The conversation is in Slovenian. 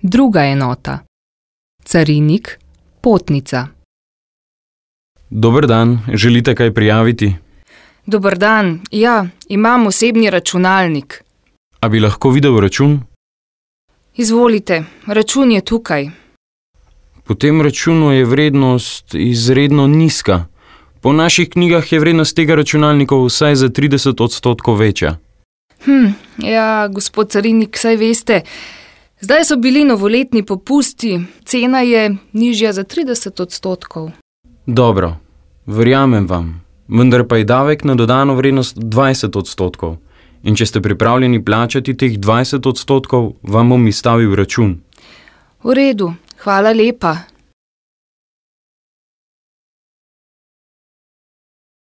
Druga enota. Carinik, potnica. Dober dan, želite kaj prijaviti? Dober dan, ja, imam osebni računalnik. A bi lahko videl račun? Izvolite, račun je tukaj. Po tem računu je vrednost izredno nizka. Po naših knjigah je vrednost tega računalnika vsaj za 30% večja. Ja, gospod carinik, saj veste, zdaj so bili novoletni popusti, cena je nižja za 30%. Dobro, verjamem vam, vendar pa je davek na dodano vrednost 20%. In če ste pripravljeni plačati teh 20%, vam bom izstavil račun. V redu, hvala lepa.